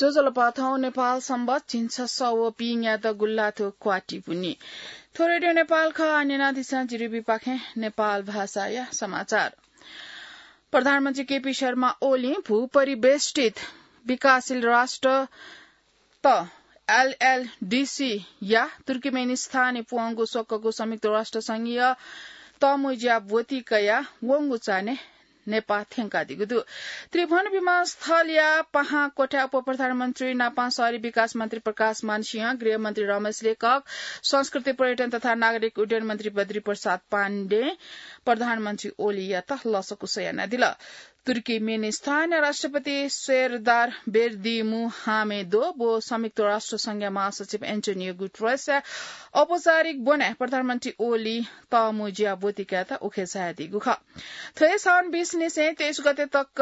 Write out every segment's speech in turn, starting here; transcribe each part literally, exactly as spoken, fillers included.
ज्वजलपा, थौं नेपाल संवत् झिंछसः व पीन्यादँ गुल्लाथ्व क्वाति पुन्हि। थ्व रेडियो नेपाल खः। आः न्यनादिसँ जिरिबीपाखें नेपाल भाषाया समाचार। प्रधानमन्त्री केपी शर्मा ओलीं भूपरिवेष्टित विकासशील राष्ट्रत एलएलडीसी या तुर्कमेनिस्तानय् प्वंगु स्वकःगु संयुक्त राष्ट्र संघीय तःमुँज्या ब्वति कयाः वंगु चान्हय् नेपाः थ्यंकादीगु दु। त्रिभुवन विमानस्थलया पाहां क्वथाय् उपप्रधानमन्त्री नापं शहरी विकास मन्त्री प्रकाशमान सिंह, गृहमन्त्री रमेश लेखक, संस्कृति पर्यटन तथा नागरिक उड्डयन मन्त्री बद्री प्रसाद पाण्डें प्रधानमन्त्री ओलीयात लसकुस यानादिल। तुर्कमेनिस्तानया राष्ट्रपति सेरदार बेरदिमुहामेदोभ व संयुक्त राष्ट्र संघया महासचिव एन्टोनियो गुटरेसया औपचारिक ब्वनाय् प्रधानमन्त्री ओली तःमुँज्या ब्वति कायेत उखे झायादीगु खः। थ्व हे साउन बीस निसें तेइस गते तक,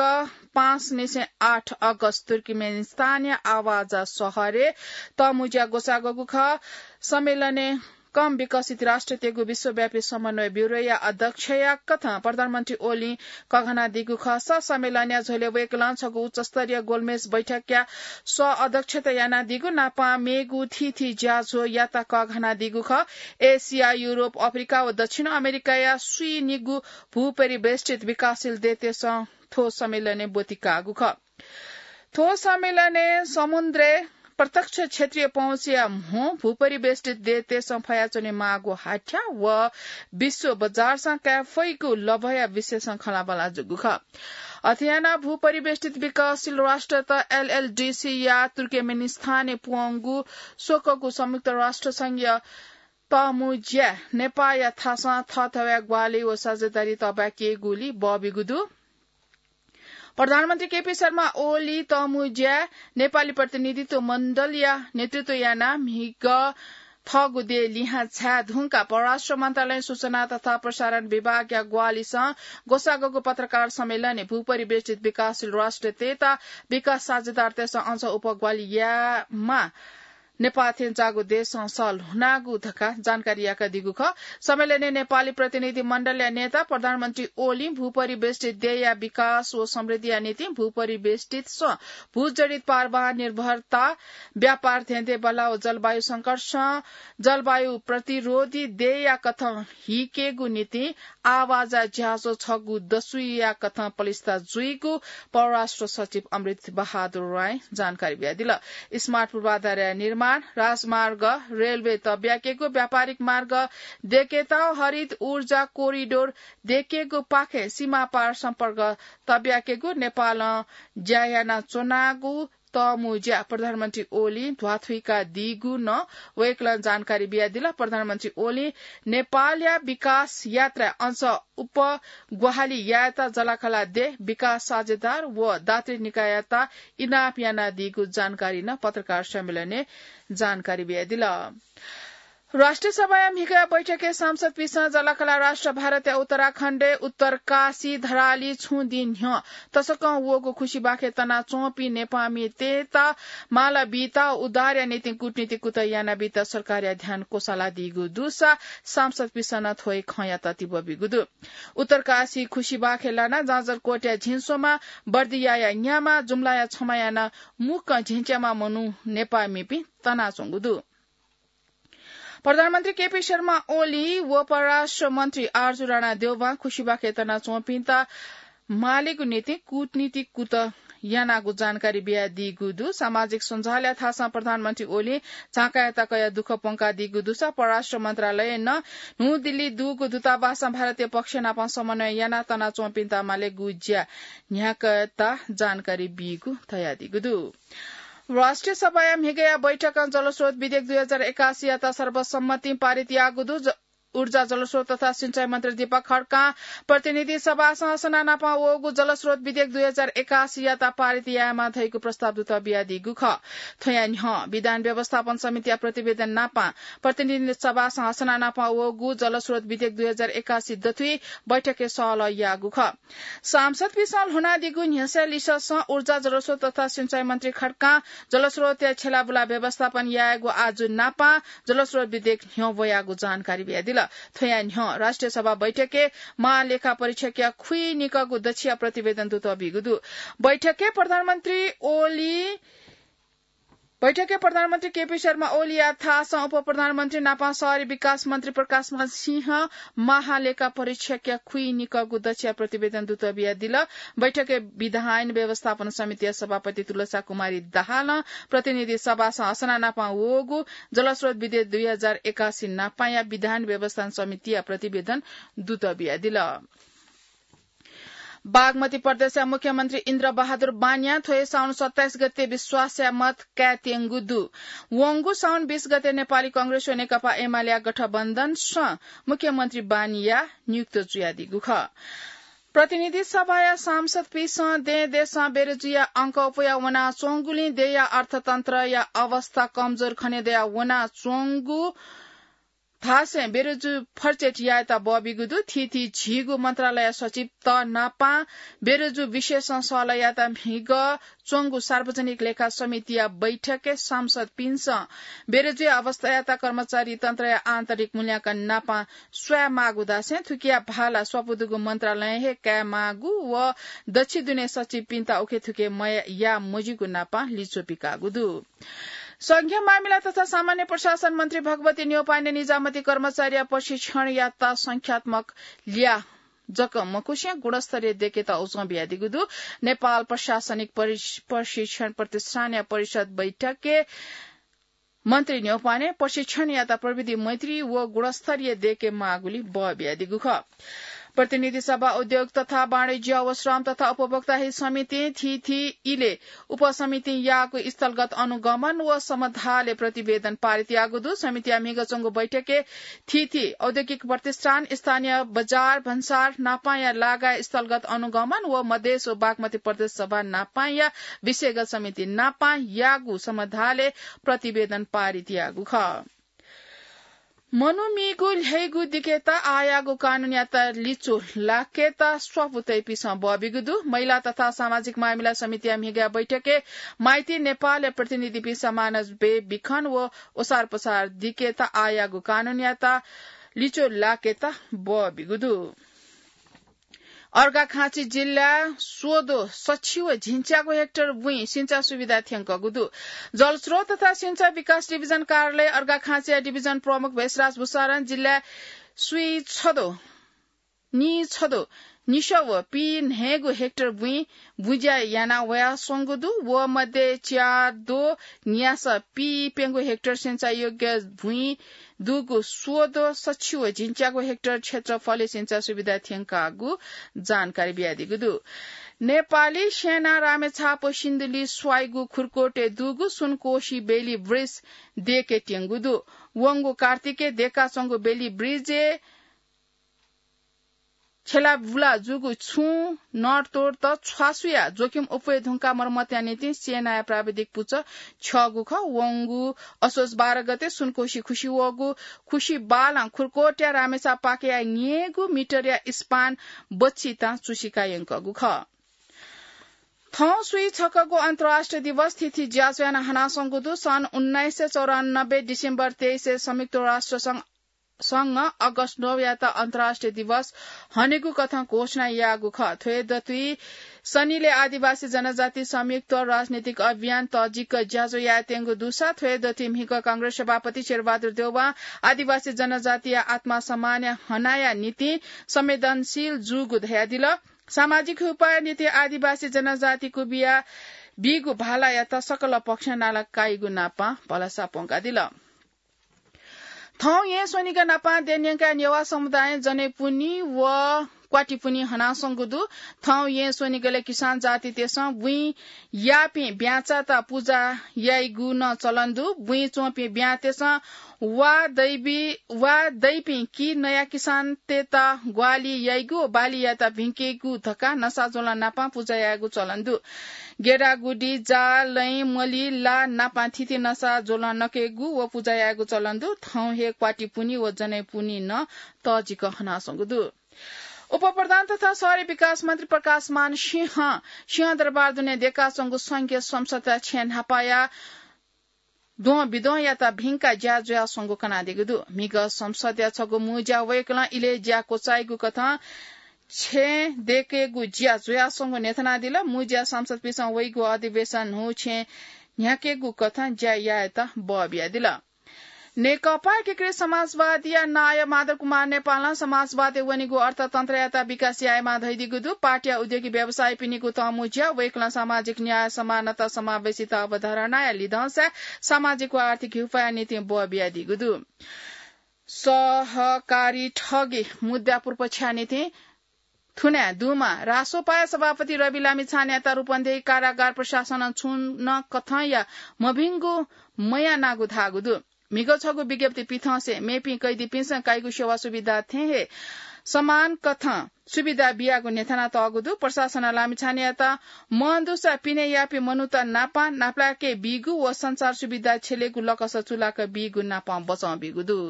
पाँच निसें आठ अगस्त तुर्कमेनिस्तानया आवाजा शहरय् तःमुँज्या ग्वसाः ग्वःगु खः। सम्मेलनय् कम विकसित राष्ट्रतय्गु विश्वव्यापी समन्वय ब्यूरोया अध्यक्षया कथं प्रधानमन्त्री ओलीं कःघानादीगु खःसा, सम्मेलनया झ्वलय् वय्कलं छगू उच्चस्तरीय गोलमेज बैठकया सह अध्यक्षता यानादीगु नापं मेगु थीथी ज्याझ्वःयात कःघानादीगु खः। एसिया, युरोप, अफ्रिका व दक्षिण अमेरिकाया स्वीनिगू भूपरिवेष्टित विकासशील देशतय्सं थ्व सम्मेलनय् ब्वति काःगु खः। थ्व सम्मेलनय् समुद्रय् प्रत्यक्ष क्षेत्रीय पहुँचया म्हो भूपरिवेष्टित देशतय्सं फयाच्वने माःगु हाथ्या व विश्व बजारसं काये फइगु लभया विषयसं खँल्हाबल्हा जूगु खः। अथे यानाः भूपरिवेष्टित विकासशील राष्ट्रत एलएलडीसी या तुर्कमेनिस्तानय् प्वंगु स्वकःगु संयुक्त राष्ट्र संघीय तःमुँज्याय् नेपाःया थासं थःथवय् ग्वाहालि व साझेदारी तःब्याकेगुली बबिगु दु। प्रधानमन्त्री केपी शर्मा ओली तःमुँज्याय् नेपाली प्रतिनिधित्व मण्डलया नेतृत्व यानाः म्हिगः थःगु देय् लिहां झाये धुंकाः परराष्ट्र मन्त्रालयं सूचना तथा प्रसारण विभागया ग्वाहालिसं ग्वसाःग्वःगु पत्रकार सम्मेलनय् भूपरिवेष्टित विकासशील राष्ट्रतय्त विकास साझेदारतय्सं अझ उपग्वाहालि यायेमाः नेपाः थें जाःगु देशं सः ल्हुनागु धकाः जानकारी याकादीगु खः। सम्मेलनय् नेपाली प्रतिनिधि मण्डलया नेता प्रधानमन्त्री ओलीं भूपरिवेष्टित देय्या विकास व समृद्धिया निंतिं भूपरिवेष्टितसं भूजडित पारवाह निर्भरता, व्यापार धेंधेंबल्लाः व जलवायु संकटसं जलवायु प्रतिरोधी देय्या कथं हिकेगु निंतिं आवाजा ज्याझ्वः छगू दसुइया कथं पलिस्था जुइगु परराष्ट्र सचिव अमृत बहादुर रायं जानकारी बियादिल। स्मार्ट पूर्वाधारया निर्माण, राजमार्ग, रेलवे तःब्याकेगु, व्यापारिक मार्ग दयेकेत, हरित ऊर्जा कोरिडोर दयेकेगु पाखें सीमापार सम्पर्क तःब्याकेगु, नेपालं ज्या यानाच्वनागु तःमुँज्या प्रधानमन्त्री ओलीं ध्वाथुइकादीगु नं वय्कलं जानकारी बियादिल। प्रधानमन्त्री ओलीं नेपालया विकास यात्राय् अझ उपग्वाहालि यायेत जःलाखःला देय्, विकास साझेदार व दात्री निकाययात इनाप यानादीगु जानकारी नं पत्रकार सम्मेलनय् जानकारी बियादिल। राष्ट्रिय सभाया म्हिगःया बैठकय् सांसदपिन्सं जःलाखःला राष्ट्र भारतया उत्तराखण्डय् उत्तरकाशी धराली छुं दिं न्ह्यः तसकं वःगु खुसिबाखय् तनाच्वंपिं नेपाःमितय्त माला बीत उद्धारया निंतिं कूटनीतिक कुतः यानाबीत सरकारया ध्यान क्वसालादीगु दुसा सांसदपिन्सं नं थ्व हे खँयात तिबः बीगु दु। उत्तरकाशी खुसिबाखय् लानाः जाजरकोटया झिंस्वमा, बर्दियाया न्यामा, जुम्लाया छमा यानाः मुक्कं झिंच्यामा मनू नेपाःमिपिं तनाच्वंगु दु। प्रधानमन्त्री केपी शर्मा ओली व परराष्ट्र मन्त्री आरजु राणा देउवां खुसिबाखय् तनाच्वंपिन्त मालेगु निंतिं कूटनीतिक कुतः यानागु जानकारी बियादीगु दु। सामाजिक सञ्जालया थासं प्रधानमन्त्री ओलीं झाँक्रीयात कयाः दुःख प्वंकादीगु दुसा परराष्ट्र मन्त्रालयं नं न्हू दिल्ली दुगु दूतावासं भारतीय पक्ष नाप समन्वय यानाः तनाच्वंपिन्त मालेगु ज्या न्ह्याकायेत जानकारी बीगु धयादीगु दु। राष्ट्रिय सभाया म्हिगःया बैठकं जलस्रोत विधेयक दुई हजार एकासीयात सर्वसम्मतिं पारित याःगु दु। ज-, ऊर्जा, जलस्रोत तथा सिंचाई मन्त्री दीपक खड्कां प्रतिनिधि सभासं असना नाप वःगु जलस्रोत विधेयक दुई हजार एकासीयात पारित यायेमाः धइगु प्रस्ताव दुत बियादीगु खः। थ्वया न्ह्यः विधान व्यवस्थापन समितिया प्रतिवेदन नाप प्रतिनिधि सभासं असना नाप वःगु जलस्रोत विधेयक दुई हजार एकासी दथुइ बैठकय् सहलह याःगु खः। सांसदपिन्सं ल्हुनादीगु न्ह्यसः लिसःसं ऊर्जा, जलस्रोत तथा सिंचाई मन्त्री खड्कां जलस्रोतया छ्यलाबुला व्यवस्थापन यायेगु आजु नाप जलस्रोत विधेयक न्ह्यः वयागु जानकारी बियादिल। थ्वया न्ह्यः राष्ट्रिय सभा बैठकय् महालेखा परीक्षकया खुइनिकःगु दच्छिया प्रतिवेदन दुत बीगु दु। बैठकय् प्रधानमन्त्री ओली बैठकय् प्रधानमन्त्री केपी शर्मा ओलीया थासं उपप्रधानमन्त्री नापं शहरी विकास मन्त्री प्रकाशमान सिंह महालेखा परीक्षकया खुइनिकःगु दच्छिया प्रतिवेदन दुत बियादिल। बैठकय् विधायन व्यवस्थापन समितिया सभापति तुलसा कुमारी दाहालं प्रतिनिधि सभासं असना नापं वःगु जलस्रोत विधेयक दुई हजार एकासी नापंया विधायन व्यवस्थापन समितिया प्रतिवेदन दुत बियादिल। बागमती प्रदेशया मुख्यमन्त्री इन्द्र बहादुर बानियां थ्व हे साउन सत्ताइस गते विश्वासया मत कायेत्यंगु दु। वंगु साउन बीस गते नेपाली कांग्रेस व नेकपा एमालेया गठबन्धनसं मुख्यमन्त्री बानिया नियुक्त जुयादीगु खः। प्रतिनिधि सभाया सांसदपिसं दें देशं बेरुजुया अंक अप्वया वनाच्वंगुलिं देया अर्थतन्त्रया अवस्था कमजोर खनेदया वनाच्वंगु धासें बेरुजु फर्चेट यायेत बबिगु दु। थीथी झीगु मन्त्रालय सचिवत नापां बेरुजु विशेषं सलह यायेत म्हिगः च्वंगु सार्वजनिक लेखा समितिया बैठकय् सांसदपिन्सं बेरुजुया अवस्थायात कर्मचारी तन्त्रया आन्तरिक मूल्यांकन नापां स्वये माःगु धासें थुकिया भाला स्वापू दुगु मन्त्रालयं हे काये माःगु व दच्छि दुने सचिवपिन्त उखेथुखे मया मजिगु नापां लिच्वः पिकाःगु दु। संघीय मामिला तथा सामान्य प्रशासन मन्त्री भगवती न्यौपाने निजामती कर्मचारीया प्रशिक्षणयात संख्यात्मक ल्याः जक मखुसें गुणस्तरीय देकेत उजं बियादीगु दु। नेपाल प्रशासनिक परिष-, प्रशिक्षण प्रतिष्ठानया परिषद बैठकय् मन्त्री न्यौपाने प्रशिक्षणयात प्रविधि मैत्री व गुणस्तरीय देके माःगुली बः बियादीगु खः। प्रतिनिधि सभा उद्योग तथा वाणिज्य व श्रम तथा उपभोक्ता हित समितिं थीथी इले उपसमितिं याःगु स्थलगत अनुगमन व समाधालय् प्रतिवेदन पारित याःगु दु। समितिया म्हिगः च्वंगु बैठकय् थीथी औद्योगिक प्रतिष्ठान, स्थानीय बजार, भन्सार नापांया लागाय् स्थलगत अनुगमन व मधेस व बागमती प्रदेश सभा नापांया विषयगत समिति नापां याःगु समाधालय् प्रतिवेदन पारित याःगु खः। मनूमिगु ल्ह्यइगु दिकेत आःयाःगु कानूनयात लिच्वः लाकेत स्वापू तइपिसं बः बिगु दु। महिला तथा सामाजिक मामिला समितिया म्हिगः बैठकय् माइती नेपालया प्रतिनिधिपिसं मानस बे बिखन व ओसारपसार दिकेत आःयाःगु कानूनयात लिच्वः लाकेत बः बिगु दु। अर्घाखाँची जिल्ला स्वदो सछि व झिंच्यागु हेक्टर बुँइ सिंचा सुविधा थ्यंकःगु दु। जलस्रोत तथा सिंचा विकास डिभिजन कार्यालय अर्घाखाँचीया डिभिजन प्रमुख भेषराज भुसारं जिल्ला स्वीछदो, नीछदो, निसः व पीन्हय्गु हेक्टर बुँइ बुँज्या याना वयाच्वंगु दु। व मध्ये च्यादो न्यासः पीप्यंगु हेक्टर सिंचायोग्य बुँइ दुगु स्वदो सछि व झिंच्यागु हेक्टर क्षेत्रफलय् सिंचा सुविधा थ्यंकागु जानकारी बियादीगु दु। नेपाली सेनां रामेछाप सिन्धुली स्वाइगु खुर्कोटय् दुगु सुनकोशी बेली ब्रिज देके त्यंगु दु। वंगु कार्तिकय् देकाच्वंगु बेली ब्रिजय् छेलाबुला जूगु छुं नडतोडत छ्वासुया जोखिम अप्वये धुंकाः मर्मतया निंतिं सेनाया प्राविधिक पुचः छ्यःगु खः। वंगु असोज बाह्र गते सुनकोशी खुसि वःगु खुसि बालं खुर्कोटया रामेछाप पाखेया न्यय्गू मिटरया स्पान बच्छि तां चुसिका यंकःगु खः। थौं स्वीछकःगु अन्तर्राष्ट्रिय दिवस थीथी ज्याझ्वः यानाः हनाच्वंगु दु। सन् उन्नाइस सय चौरानब्बे डिसेम्बर तेइसय् संयुक्त राष्ट्र संघ संघं अगस्त नौयात अन्तर्राष्ट्रिय दिवस हनेगु कथं घोषणा याःगु खः। थ्व हे दथुइ सनिलय् आदिवासी जनजाति संयुक्त राजनीतिक अभियान तःजिक ज्याझ्वः यायेत्यंगु दुसा थ्व हे दथुइ म्हिगः कांग्रेस सभापति शेरबहादुर देउवां आदिवासी जनजातिया आत्मसम्मान हनाया निंतिं संवेदनशील जूगु धयादिल। सामाजिक उपाय निंतिं आदिवासी जनजाति क्वबिया बीगु भालायात सकल पक्षं नाला काइगु नापां भलसा प्वंकादिल। थौं येँ स्वनिगः नापां देय् न्यंकाः नेवाः समुदायं जनै पुन्हि व क्वाति पुन्हि हनाच्वंगु दु। थौं येँ स्वनिगलय् किसान जातितय्सं बुँइ याःपिं ब्याँचात पुजा याइगु नं चलन दु। बुँइ च्वंपिं ब्याँतय्सं वा दैबी, वा दैपिं कि नया किसानतय्त ग्वाहालि याइगु व बाली यायेत भिंकेगु धकाः नसा ज्वलं नापां पुजा यायेगु चलन दु। गेडागुडी, जा, लँय्, मलि, ला नापां थीथी नसा ज्वलं नकेगु व पुजा यायेगु चलन दु। थौं हे क्वाति पुन्हि व जनै पुन्हि नं तःजिक हनाच्वंगु दु। उपप्रधान तथा शहरी विकास मन्त्री प्रकाशमान सिंहं सिंहदरबार दुने देकाच्वंगु संघीय संसदया छेँ न्हापाया द्वं बिद्वंयात भिंकाः ज्या जुयाच्वंगु कनादीगु दु। म्हिगः संसदया छगू मुँज्या वय्कलं इलय् ज्या क्वचाइगु कथं छेँ देकेगु ज्या जुयाच्वंगु न्ह्यथनादिल। मुँज्या संसदपिसं वइगु अधिवेशन न्हू छेँ न्ह्याकेगु कथं ज्या यायेत बः बियादिल। नेकपा एकीकृत समाजवादीया नायः माधव कुमार नेपालं समाजवादय् वनीगु अर्थतन्त्रयात विकास यायेमाः धयादीगु दु। पार्टीया उद्योगी व्यवसायीपिनिगु तःमुँज्या वय्कलं सामाजिक न्याय, समानता, समावेशिता अवधारणाया लिधंसाय् सामाजिक व आर्थिक हिउपाया निंतिं बः बियादीगु दु। सहकारी ठगी मुद्दा पूर्वपक्षया निंतिं थुनाः दुम्ह रासोपाया सभापति रवि लामिछानेयात रूपन्देही कारागार प्रशासनं छुं नं कथंया मभिंगु मयानागु धाःगु दु। म्हिगः छगू विज्ञप्ति पिथंसे मेपिं कैदीपिन्सं काइगु सेवा सुविधा थें हे समान कथं सुविधा बियागु न्ह्यथनातःगु दु। प्रशासनं लामिछानेयात मं दुसा पिने याःपिं मनूत नाप नापलाके बीगु व संचार सुविधा छ्यलेगु लकस चुलाक बीगु नाप बचं बीगु दु।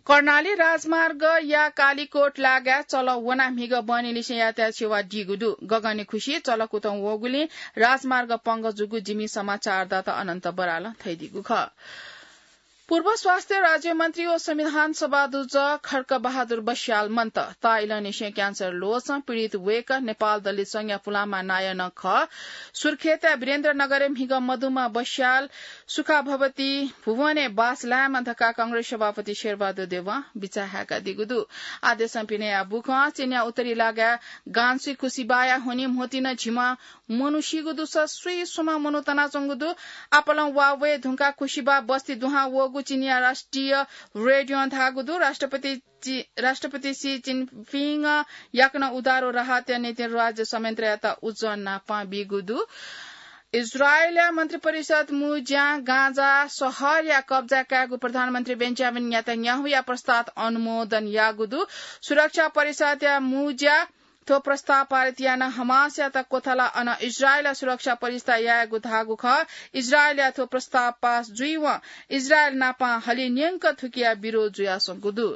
कर्णाली राजमार्गया कालीकोट लागाय् चल वनाः म्हिगः बहनीलिसें यातायात सेवा दीगु दु। गगनय् खुसि चल कुतुं वःगुलिं राजमार्ग पंगः जूगु जिमि समाचारदाता अनन्त बरालं धयादीगु खः। पूर्व स्वास्थ्य राज्यमन्त्री व संविधान सभा अध्यक्ष खड्ग बहादुर बस्याल मन्त। ताःइलंनिसें क्यान्सर ल्वचं पीडित वय्कः नेपाल दलित संघया पुलांम्ह नायः नं खः। सुर्खेतय् वीरेन्द्रनगरय् म्हिगः मदुम्ह बस्याल सुखावती भुवनय् बास लायेमा धकाः कांग्रेस सभापति शेरबहादुर देवं बिचाः हाय्कादीगु दु। आदेशं पिने याः बुखं चिनिया उत्तरी लागाय् गान्सुइ खुसिबाया हुनिं म्होतिं नं झिम्ह मनू सीगु दुसा स्वीस्वम्ह मनू तनाच्वंगु दु। आपालं वा वये धुंकाः खुसिबा बस्ती दुहां वःगु चिनिया राष्ट्रिय रेडियों धाःगु दु। राष्ट्रपति चि-, राष्ट्रपति सी जिनपिंगं याकनं उधारो राहतया निंतिं राज्य संयन्त्रयात उज्जं नापं बीगु दु। इजरायलया मन्त्रिपरिषद मुँज्यां गाजा सहरया कब्जा कायेगु प्रधानमन्त्री बेन्जामिन नेतन्याहुया प्रस्ताव अनुमोदन याःगु दु। सुरक्षा परिषदया मुँज्यां थ्व प्रस्ताव पारित यानाः हमासयात क्वथलाः अन इजरायलया सुरक्षा परिषदय् यायेगु धाःगु खः। इजरायलया थ्व प्रस्ताव पास जुइवं इजरायल नापं हलिं न्यंक थुकिया विरोध जुयाच्वंगु दु।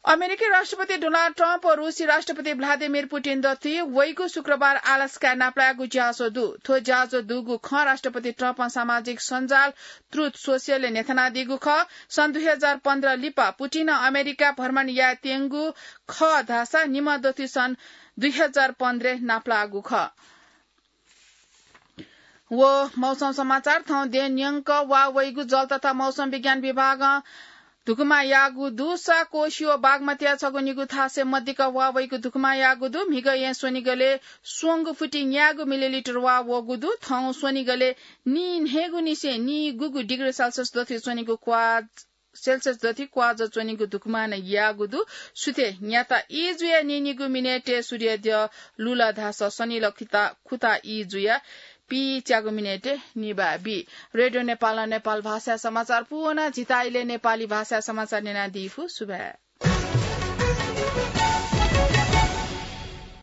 अमेरिकी राष्ट्रपति डोनाल्ड ट्रम्प व रूसी राष्ट्रपति भ्लादिमिर पुटिन दथुइ वइगु शुक्रबार अलास्काय् नापलायेगु ज्याझ्वः दु। थ्व ज्याझ्वः दुगु खँ राष्ट्रपति ट्रम्पं सामाजिक सञ्जाल Truth Social-य् न्ह्यथनादीगु खः। सन् दुई हजार पन्ध्र लिपा पुटिनं अमेरिका भ्रमण यायेत्यंगु खः धाःसा निम्ह दथुइ सन् दुई हजार पन्ध्रय् नापलाःगु खः। व मौसम समाचार। थौं देय् न्यंक वा वइगु जल तथा मौसम विज्ञान विभागं धुकुमा याःगु दुसा कोशी व बागमतीया छगू निगू थासय् मदिक्क वा वइगु धुकुमा याःगु दु। म्हिगः येँ स्वनिगलय् स्वंगू फुति न्यागू मिलिलिटर वा वःगु दु। थौं स्वनिगलय् नीन्हय्गू निसें नीगूगू डिग्री सेल्सियस दथुइ च्वनीगु क्वाज सेल्सियस दथुइ क्वाजः च्वनीगु धुकुमा नं याःगु दु। सुथय् न्याता ई जुयाः नीनिगू मिनेटय् सूर्य द्यः लुल धाःसा सनिल खुता, खुता ई जुयाः पीच्यागू मिनेटय् निभाः बी। रेडियो नेपालं नेपाल भाषाया समाचार पूवना। झीत इलय् नेपाली भाषाया समाचार न्यनादीफु। सुभाय्।